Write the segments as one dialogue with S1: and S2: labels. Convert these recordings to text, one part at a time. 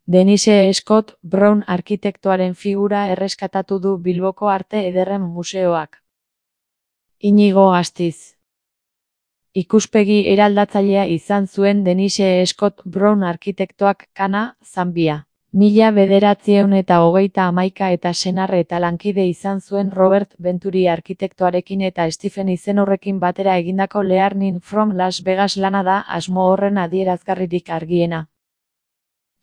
S1: Denise Scott Brown arkitektoaren figura erreskatatu du Bilboko Arte Ederren Museoak. Inigo Astiz. Ikuspegi eraldatzailea izan zuen Denise Scott Brown arkitektoak Kana, Zambia. 1931 eta senarre eta lankide izan zuen Robert Venturi arkitektoarekin eta Stephen Izenorrekin batera egindako Learning from Las Vegas lana da asmo horren adierazgarririk argiena.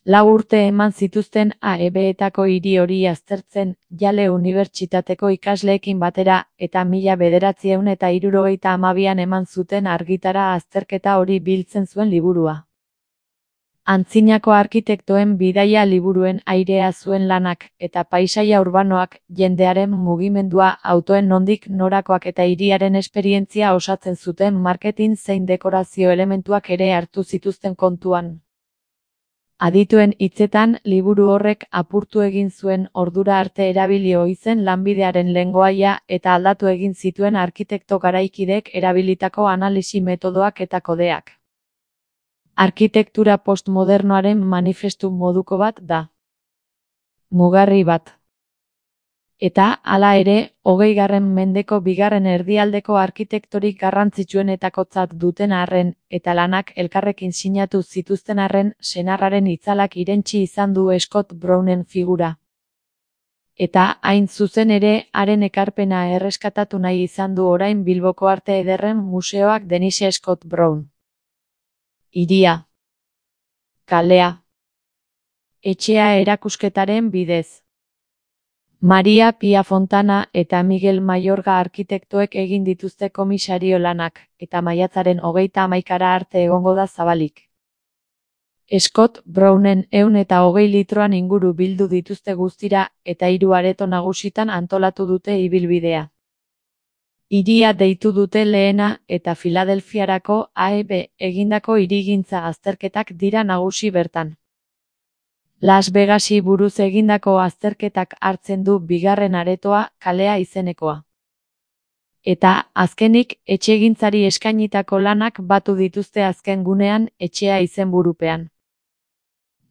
S1: 4 urte eman zituzten AEB-etako hiri hori aztertzen, Yale Unibertsitateko ikasleekin batera, eta 1972an eman zuten argitara azterketa hori biltzen zuen liburua. Antzinako arkitektoen bidaia liburuen airea zuen lanak, eta paisaia urbanoak, jendearen mugimendua, autoen nondik norakoak eta hiriaren esperientzia osatzen zuten marketing zein dekorazio elementuak ere hartu zituzten kontuan. Adituen hitzetan, liburu horrek apurtu egin zuen ordura arte erabili ohi zen lanbidearen lengoaia eta aldatu egin zituen arkitekto garaikidek erabilitako analisi metodoak eta kodeak. Arkitektura postmodernoaren manifestu moduko bat da. Mugarri bat. Eta, hala ere, 20. mendeko bigarren erdialdeko arkitektorik garrantzitsuenetakotzat duten arren, eta lanak elkarrekin sinatu zituzten arren, senarraren itzalak irentsi izan du Scott Brownen figura. Eta, hain zuzen ere, haren ekarpena erreskatatu nahi izan du orain Bilboko Arte Ederren Museoak Denise Scott Brown. Hiria. Kalea. Etxea erakusketaren bidez. Maria Pia Fontana eta Miguel Mayorga arkitektoek egin dituzte komisario lanak, eta maiatzaren 31 arte egongo da zabalik. Scott Brownen 120 litroan inguru bildu dituzte guztira, eta 3 areto nagusitan antolatu dute ibilbidea. Hiria deitu dute lehena, eta Filadelfiarako AEB egindako hirigintza azterketak dira nagusi bertan. Las Vegasi buruz egindako azterketak hartzen du bigarren aretoa, kalea izenekoa. Eta, azkenik, etxegintzari eskainitako lanak batu dituzte azken gunean, etxea izenburupean.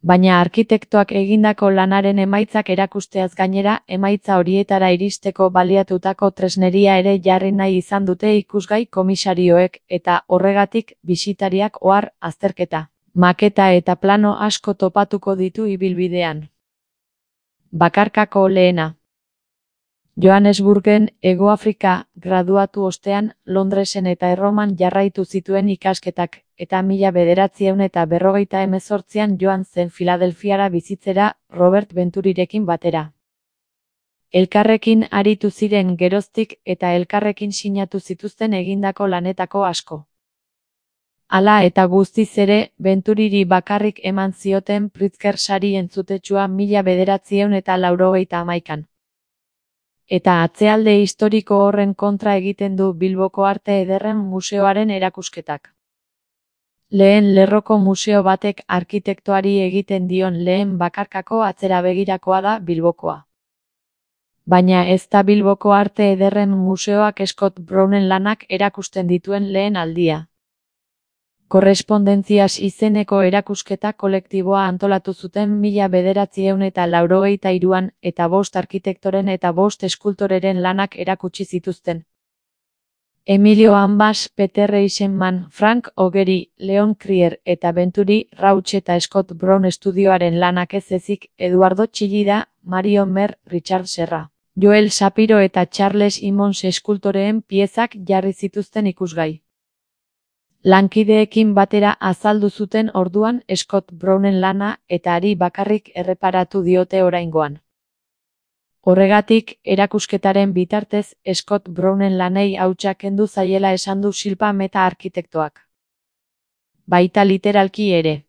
S1: Baina arkitektoak egindako lanaren emaitzak erakusteaz gainera, emaitza horietara iristeko baliatutako tresneria ere jarri nahi izan dute ikusgai komisarioek, eta horregatik, bisitariak ohar azterketa. Maketa eta plano asko topatuko ditu ibilbidean. Bakarkako lehena. Johannesburgen, Hegoafrika, graduatu ostean, Londresen eta Erroman jarraitu zituen ikasketak, eta 1958an joan zen Filadelfiara bizitzera, Robert Venturirekin batera. Elkarrekin aritu ziren geroztik eta elkarrekin sinatu zituzten egindako lanetako asko. Hala eta guztiz ere, Venturiri bakarrik eman zioten Pritzker sari entzutetsua 1981an. Eta atzealde historiko horren kontra egiten du Bilboko Arte Ederren Museoaren erakusketak. Lehen lerroko museo batek arkitektoari egiten dion lehen bakarkako atzera begirakoa da Bilbokoa. Baina ez da Bilboko Arte Ederren Museoak Scott Brownen lanak erakusten dituen lehen aldia. Korrespondentziaz izeneko erakusketa kolektiboa antolatu zuten 1983an eta 5 arkitektoren eta 5 eskultoreren lanak erakutsi zituzten. Emilio Ambas, Peter Eisenman, Frank Ogeri, Leon Krier eta Venturi, Rauch eta Scott Brown estudioaren lanak ez ezik, Eduardo Chillida, Mario Mer, Richard Serra, Joel Shapiro eta Charles Imons eskultoreen piezak jarri zituzten ikusgai. Lankideekin batera azaldu zuten orduan Scott Brownen lana eta hari bakarrik erreparatu diote oraingoan. Horregatik, erakusketaren bitartez Scott Brownen lanei hautsa kendu zaiela esan du Shilpa Mehta arkitektoak. Baita literalki ere.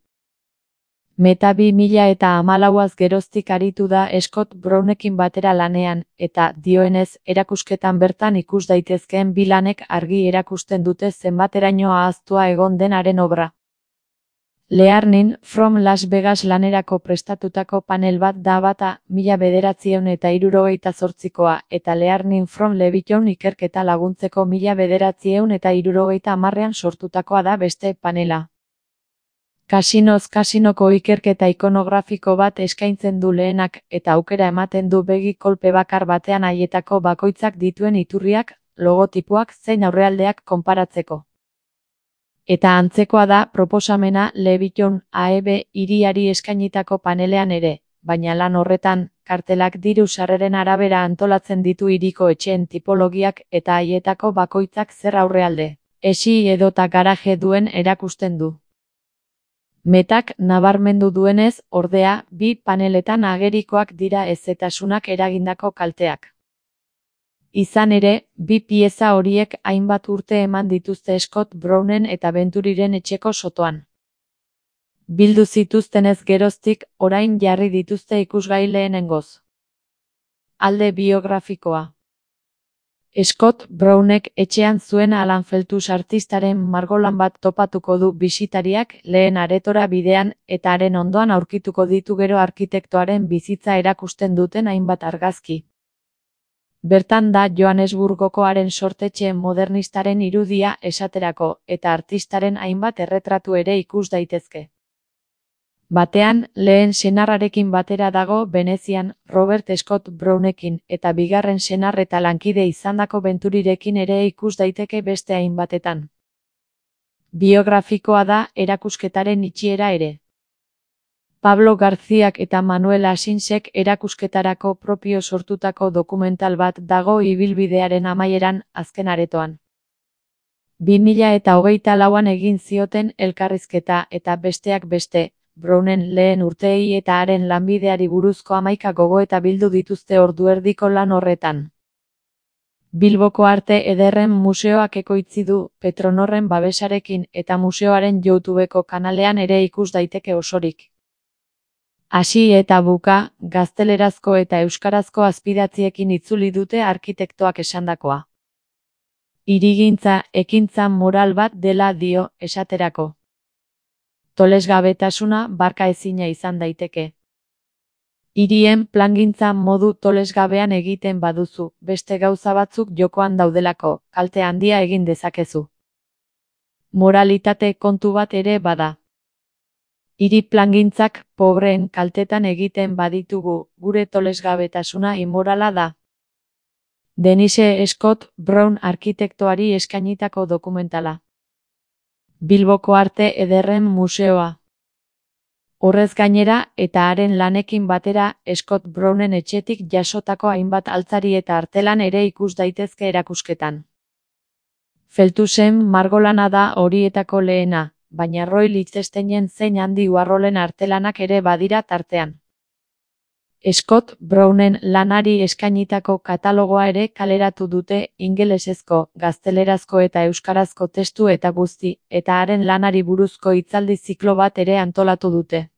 S1: Mehta 2014az geroztik aritu da Scott Brownekin batera lanean, eta, dioenez, erakusketan bertan ikus daitezkeen bi lanek argi erakusten dute zenbateraino ahaztua egon denaren obra. Learning from Las Vegas lanerako prestatutako panel bat da bata 1978koa eta Learning from Leviton ikerketa laguntzeko 1970an sortutakoa da beste panela. Kasinoz kasinoko ikerketa ikonografiko bat eskaintzen du lehenak eta aukera ematen du begi kolpe bakar batean haietako bakoitzak dituen iturriak, logotipoak zein aurrealdeak konparatzeko. Eta antzekoa da proposamena Leviton AEB hiriari eskainitako panelean ere, baina lan horretan, kartelak diru sarreren arabera antolatzen ditu hiriko etxeen tipologiak eta haietako bakoitzak zer aurrealde, esi edota garaje duen erakusten du. Metak nabarmendu duenez, ordea, bi paneletan agerikoak dira hezetasunak eragindako kalteak. Izan ere, bi pieza horiek hainbat urte eman dituzte Scott Brownen eta Venturiren etxeko sotoan. Bildu zituztenez geroztik, orain jarri dituzte ikusgai lehenengoz. Alde biografikoa. Scott Brownek etxean zuen Alan Feltus artistaren margolan bat topatuko du bisitariak lehen aretora bidean eta haren ondoan aurkituko ditu gero arkitektoaren bizitza erakusten duten hainbat argazki. Bertan da Johannesburgoko haren sortetxe modernistaren irudia esaterako eta artistaren hainbat erretratu ere ikus daitezke. Batean, lehen senarrarekin batera dago Venezian Robert Scott Brownekin eta bigarren senar eta lankide izandako Venturirekin ere ikus daiteke beste hainbatetan. Biografikoa da erakusketaren itxiera ere. Pablo Garziak eta Manuel Asinsek erakusketarako propio sortutako dokumental bat dago ibilbidearen amaieran azken aretoan. 2024an egin zioten elkarrizketa eta besteak beste, Brownen lehen urteei eta haren lanbideari buruzko 11 gogoeta bildu dituzte ordu erdiko lan horretan. Bilboko Arte Ederren Museoak ekoitzi du Petronorren babesarekin eta museoaren YouTubeko kanalean ere ikus daiteke osorik. Hasi eta buka, gaztelerazko eta euskarazko azpidatziekin itzuli dute arkitektoak esandakoa. Hirigintza, ekintza moral bat dela dio, esaterako. Tolesgabetasuna barka ezina izan daiteke. Hirien plangintza modu tolesgabean egiten baduzu, beste gauza batzuk jokoan daudelako, kalte handia egin dezakezu. Moralitate kontu bat ere bada. Hiri plangintzak pobreen kaltetan egiten baditugu, gure tolesgabetasuna inmorala da. Denise Scott Brown arkitektoari eskainitako dokumentala. Bilboko Arte Ederren Museoa. Horrez gainera eta haren lanekin batera Scott Brownen etxetik jasotako hainbat altzari eta artelan ere ikus daitezke erakusketan. Feltusen margolana da horietako lehena, baina Roy Lichtensteinen zein Andy Warholen artelanak ere badira tartean. Scott Brownen lanari eskainitako katalogoa ere kaleratu dute ingelesezko, gaztelerazko eta euskarazko testu eta guzti, eta haren lanari buruzko hitzaldi ziklo bat ere antolatu dute.